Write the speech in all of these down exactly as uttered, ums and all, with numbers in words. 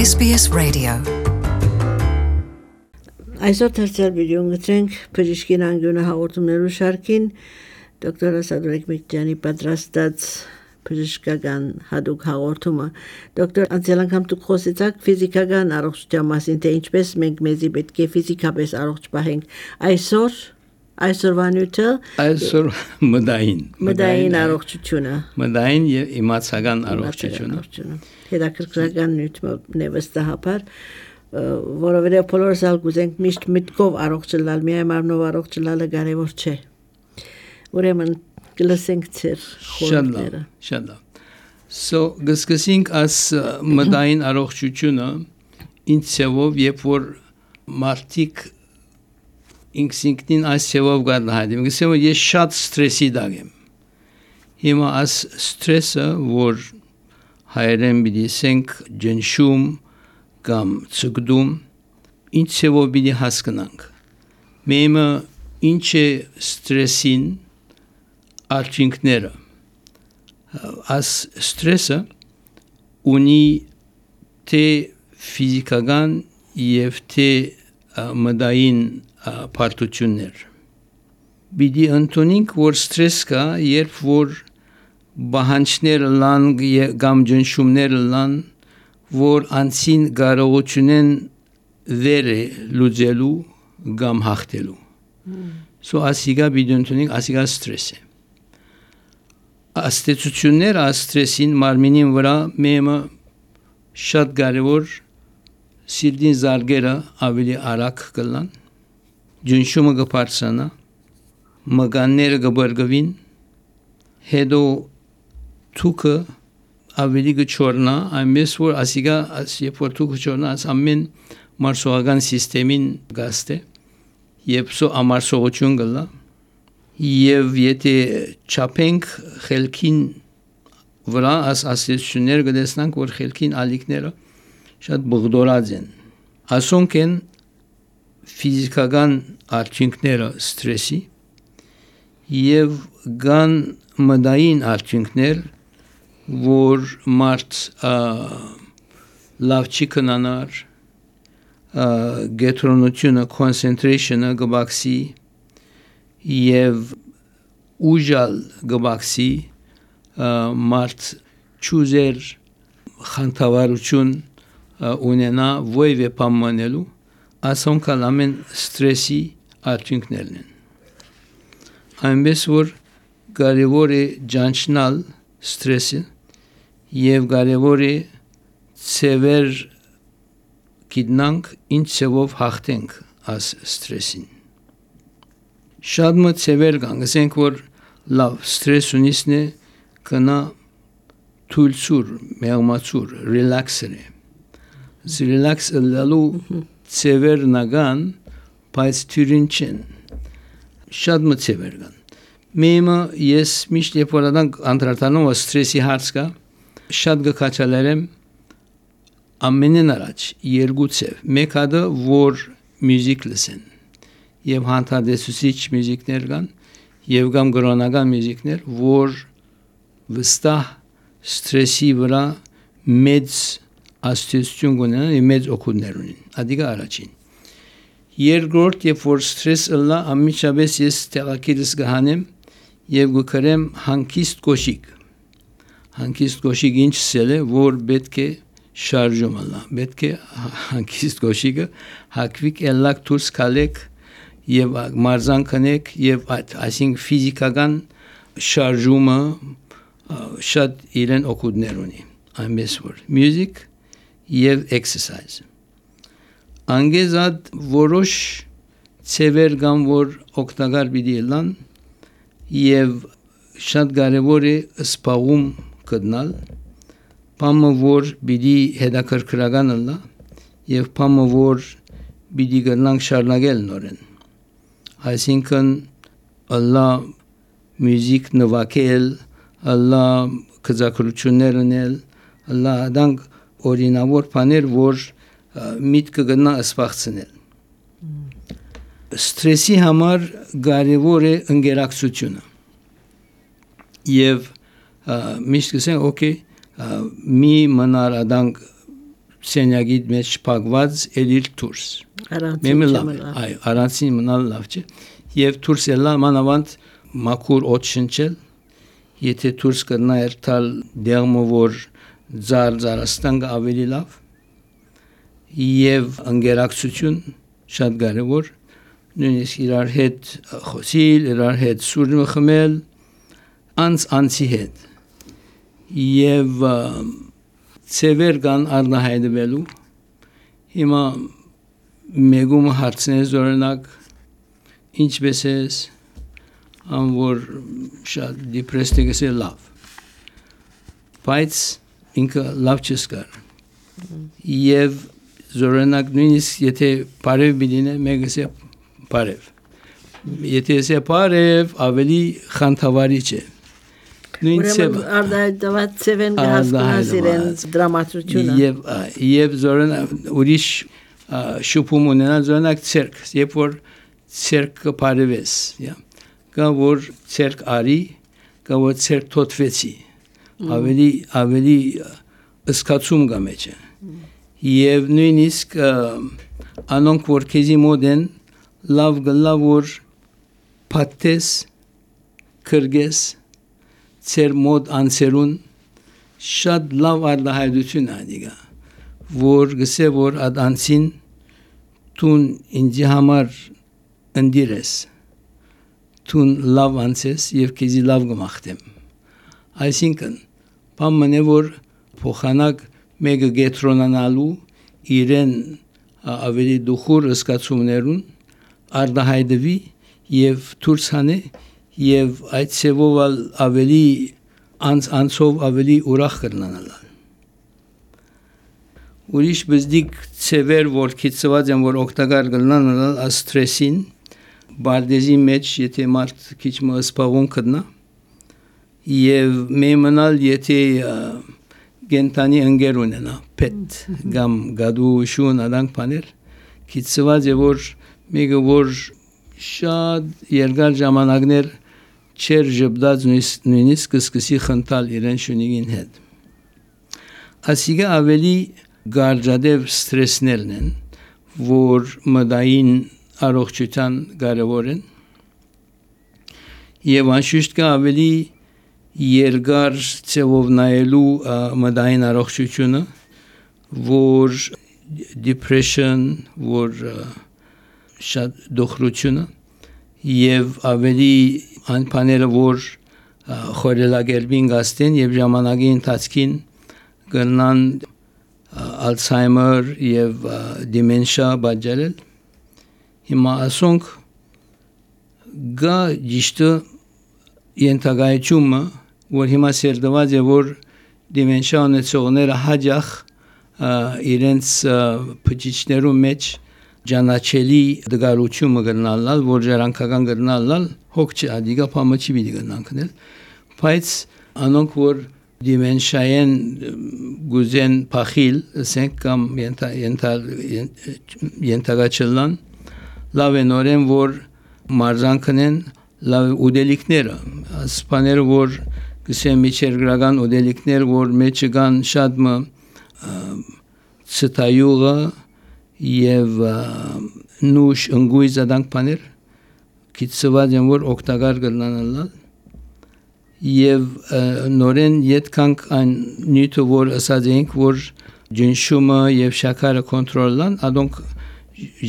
S B S Radio. Այսօր թերթել վիդեոն գտնենք բժշկին անգյունը հաղորդումներու շարքին դոկտոր Սադրիկ Միկյանի պատրաստած բժշկական հատուկ հաղորդումը դոկտոր անցյալ անգամ դուք խոսեցաք ֆիզիկական առողջության մասին թե ինչպես մենք մեզի պետք է ֆիզիկապես առողջ պահենք այսօր այսօրվա նյութը այսօր մդային մդային առողջությունը մդային եւ իմացական առողջությունը հետաքրքրական նյութ նեվստահաբար որովհետեւ բոլորս ալ գուզենք միշտ միտքով առողջ լինել միայն մարմնով առողջ լինելը կարևոր չէ ուրեմն գլսենք ծեր խորհուրդները շատ լավ so գսկսենք as մդային առողջությունը ինձեով երբ որ մարդիկ ինքսինքնին այս ծավով գարնահայտում գսեմ ես շատ ստրեսի դագեմ հիմա as ստրեսը որ հայերեն բիդիսենք ջնշում կամ ցկդում ինչ ծավով բիդի հասկանանք մեմը ինչ է ստրեսին արդյունքները as ստրեսը ունի թե ֆիզիկական եւ թե մդային պարտություններ բիդի ընդունենք որ ստրես կա երբ որ բանջներ լան կամ ջնշումներ լան որ անցին կարողությունեն վերը լուծելու կամ հաղթելու so ասիգա բիդի ընդունենք ասիգա ստրես է աստեցություններ աստրեսին մարմինին վրա մեմը շատ կարևոր սիրտին զարգերը ավելի արագ կլան ջնշումը կբարձրանա մկանները կբրգվին հետո թուքը ավելի կչորնա այնպես որ ասիգա երբ որ թուքը չորնա ամեն մարսողական սիստեմին գաստե եւ սո ամարսողություն կլա եւ եթե չափենք խելքին վրա աս ասեցություններ կտեսնանք որ խելքին ալիքները շատ բղդորած են ասոնք են ֆիզիկական արդյունքները ստրեսի եւ կան մդային արդյունքներ որ մարդ լավ չի կնանար գետրոնությունը concentration-ը գբաքսի եւ ուժալ գբաքսի մարդ ճուզեր խանդավառություն ունենա ոյվե պամանելու ասոնք ամեն ստրեսի արդյունքներն են այնպես որ կարևոր է ջանչնալ ստրեսը եւ կարևոր է ծևեր գիտնանք ինչ ծևով հաղթենք աս ստրեսին շատ մը ծևեր կան ասենք որ լավ ստրես ունիսն է կնա թույլցուր մեղմացուր ռելաքսեր է ռելաքս լալու ծևեր նագան բայց թյուրին չեն շատ մը ծևեր կան մեմը ես միշտ երբ որ ադանք անդրադառնում ստրեսի հարց կա շատ գքաչալերեմ ամենեն առաջ երկու ծև մեկ հատը որ մյուզիկ լսեն եւ հանդարտեցուցիչ մյուզիկներ կան եւ կամ գրոնական մյուզիկներ որ վստահ ստրեսի վրա մեծ աստեցություն ունեն եւ մեծ օգուտներ ունեն ադիգա առաջին երկրորդ երբ որ ստրես ըլլա ամիջապես ես տեղակիրս գհանեմ եւ գկրեմ հանկիստ կոշիկ հանկիստ կոշիկ ինչ սել է որ պետք է շարժում ըլլա պետք է հանկիստ կոշիկը հակվիկ ելակ դուրս կալեք եւ մարզան կնեք եւ այսինքն ֆիզիկական շարժումը շատ իրեն օգուտներ ունի այնպես որ music եւ exercise անգեզად որոշ ծևեր կան որ օգտակար պիտի լան եւ շատ կարեւոր է սպաղում գտնալ բամը որ պիտի հետաքրքրական լա եւ բամը որ պիտի գտնանք շարունակել նորեն այսինքն ըլլա մյուզիկ նվագել ըլլա կզակրություններ ունել ըլլա դանք օրինավոր բաներ որ միտքը գնա սպաղցնել ստրեսի համար կարևոր է ընկերակցությունը եւ միշտ կսեն օքեյ մի մնար ադանք սենյակի մեջ փակված էլիր դուրս Առանցին լավ այ առանցին մնալ լավ չէ եւ դուրս ելա մանավանդ մաքուր օդ շնչել եթե դուրս կրնա երթալ դերմը որ ձար ձարաստան ավելի լավ եւ ընկերակցություն շատ կարեւոր նույնիսկ իրար հետ խոսիլ իրար հետ սուրը խմել անց անցի հետ եւ ծևեր կան առնահայտվելու հիմա մեգում հարցնես օրինակ ինչպես ես ան որ շատ դիպրեստ է լավ բայց ինքը լավ չսկար եւ օրինակ նույնիսկ եթե բարև բինե մեգսե բարև եթե սե բարև ավելի խանթավարի չէ Ուրեմն արդայդված ծևեն կհասկանաս իրեն դրամատուրգությունը եւ եւ զորն ուրիշ շուփում ունենալ զորնակ ցերկ երբ որ ցերկը բարևես կա որ ցերկ արի կա որ ցերկ թոթվեցի ավելի ավելի ըսկացում կա մեջը եւ նույնիսկ անոնք որ քեզի մոդեն լավ գլավ որ պատես քրգես ծեր մոդ անցերուն շատ լավ արդահայտություն ադիգա որ գսե որ ադանցին տուն ինձ համար ընդիրես տուն լավ անցես եւ քեզի լավ գմախտեմ այսինքն բամնե որ փոխանակ մեգը գետրոնանալու իրեն ավելի դուխուր ըսկացումներուն արդահայտվի եւ դուրսանե եւ այդ ծևով ավելի անց անցով ավելի ուրախ կրնանալ ուրիշ բզդիկ ծևեր որ քիծված են որ օգտակար կլնանալ ստրեսին բարդեզի մեջ եթե մարդ քիչ մը սպաղուն կդնա եւ մեմնալ եթե գենտանի ընկեր ունենա պետ գամ գադու շուն adank paner քիծված է որ մեգը որ շատ երկար ժամանակներ չեր ժբդած նույնիսկ սկսի խնդալ իրեն շունիգին հետ ասիգա ավելի գարջադև ստրեսներն են որ մդային առողջության կարևոր են եւ անշուշտ կա ավելի երկար ծևով նայելու մդային առողջությունը որ depression որ շատ դոխրությունը եւ ավելի անփաները որ խորելագերբին գաստեն եւ ժամանակի ընթացքին կնան Alzheimer եւ dementia բաժարել հիմա ասոնք գա ճիշտ ենթագայությունը որ հիմա սերդված է որ dementia ունեցողները հաջող իրենց փճիչներու մեջ ջանաչելի դգարությունը գնալալ որ ժառանգական գնալալ հոգ չադիգա փամաչի բիդի գնանքնել բայց անոնք որ դիմենշային գուզեն փախիլ ասենք կամ ենթա ենթա ենթագաչլան լավ են օրեն որ մարզանքնեն լավ ուդելիկները ասպաները որ գսեմ միջերգրական ուդելիկներ որ մեջը կան շատ մը ցտայուղը եւ նուշ ընգույզ adank paner քիծված են որ օգտակար կլանալ եւ նորեն յետքանք այն նյութը որ ասած ենք որ ջնշումը եւ շաքարը կոնտրոլան adonk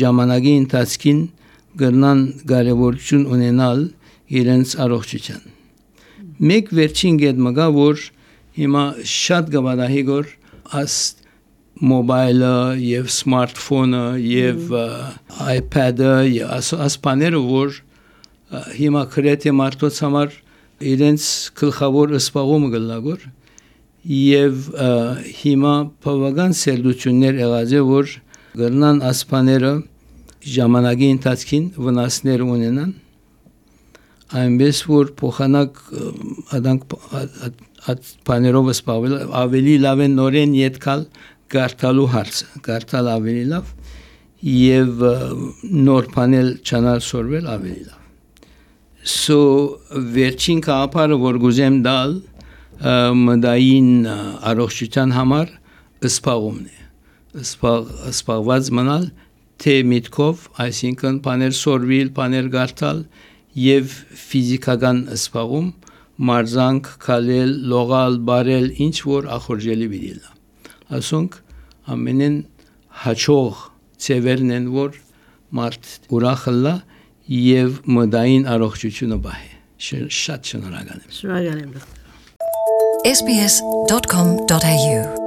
ժամանակի ընթացքին կգնան կարևորություն ունենալ իրենց առողջության մեկ վերջին գետ մգա որ հիմա շատ գավադահի գոր աս մոբայլը եւ սմարթֆոնը եւ iPad-ը ասպաները որ հիմա քրեթե մարդոց համար իրենց գլխավոր սպաղումը գլագոր եւ հիմա բավական սերդություններ եղած է որ գտնան ասպաները ժամանակի ընթացքին վնասներ ունենան այնպես որ փոխանակ adank panerով սպավել ավելի լավ է նորեն յետքալ գարտալու հարցը, գարտալ ավելի լավ եւ նոր պանել չանալ սորվել ավելի լավ։ So վերջին կապարը որ գուզեմ դալ մդային առողջության համար սպաղումն է։ սպաղված մնալ, թե միտքով, այսինքն բաներ սորվիլ, բաներ գարտալ եւ ֆիզիկական սպաղում մարզանք, քալել, լողալ, բարել, ինչ որ ախորժելի վիդիլա։ Ասոնք ամենեն հաջող ծևերն են, որ մարդ ուրախլա եւ մտային առողջությունը բահե։ Շատ շնորհակալ եմ։ Շնորհակալ եմ։ S B S dot com dot A U